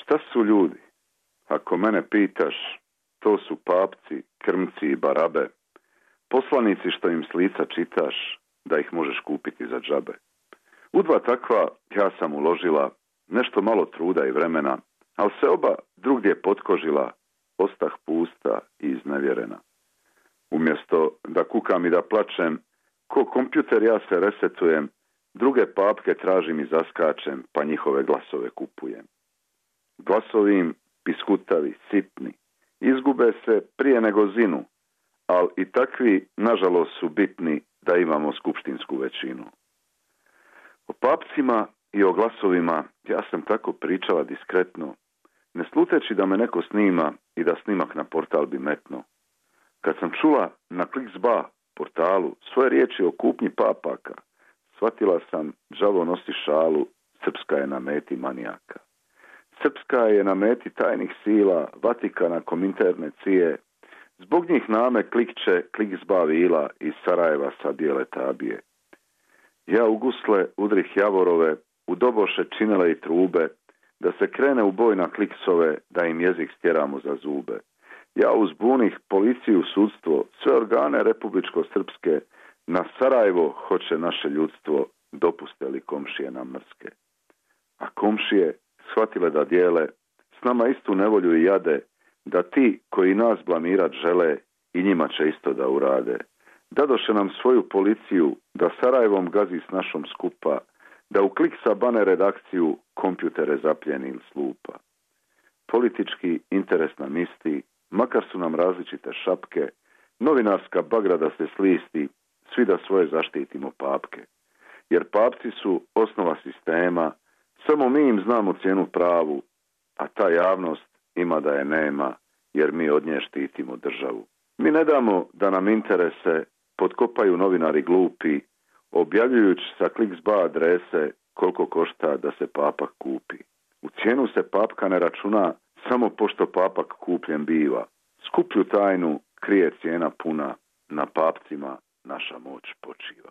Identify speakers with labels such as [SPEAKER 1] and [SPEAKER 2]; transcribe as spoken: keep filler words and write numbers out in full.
[SPEAKER 1] Šta su ljudi? Ako mene pitaš, to su papci, krmci i barabe, poslanici što im s lica čitaš, da ih možeš kupiti za džabe. U dva takva ja sam uložila nešto malo truda i vremena, ali se oba drugdje potkožila, ostah pusta i iznevjerena. Umjesto da kukam i da plačem, ko kompjuter ja se resetujem, druge papke tražim i zaskačem, pa njihove glasove kupujem. Glasovi im piskutavi, sitni, izgube se prije nego zinu, ali i takvi, nažalost, su bitni da imamo skupštinsku većinu. O papcima i o glasovima ja sam tako pričala diskretno, ne sluteći da me neko snima i da snimak na portal bi metno. Kad sam čula na Kliksba portalu svoje riječi o kupnji papaka, shvatila sam, đavo nosi šalu, srpska je na meti manijaka. Srpska je na meti tajnih sila, Vatikana, Kominterne, cije. Zbog njih name klikće Kliksba vila iz Sarajeva sa bijele tabije. Ja u gusle udrih javorove, u doboše činele i trube, da se krene u boj na kliksove, da im jezik stjeramo za zube. Ja uzbunih policiju, sudstvo, sve organe republičko-srpske, na Sarajevo hoće naše ljudstvo, dopuste li komšije nam mrske. A komšije shvatile da dijele s nama istu nevolju i jade, da ti koji nas blamirat žele i njima će isto da urade. Dadoše nam svoju policiju da Sarajevom gazi s našom skupa, da u Kliksa bane redakciju kompjutere zapljeni ili slupa. Politički interes nam isti, makar su nam različite šapke, novinarska bagra da se slisti, svi da svoje zaštitimo papke. Jer papci su osnova sistema, samo mi im znamo cijenu pravu, a ta javnost ima da je nema, jer mi od nje štitimo državu. Mi ne damo da nam interese potkopaju novinari glupi, objavljujući sa Kliksba adrese koliko košta da se papak kupi. U cijenu se papka ne računa samo pošto papak kupljen biva. Skuplju tajnu krije cijena puna, na papcima naša moć počiva.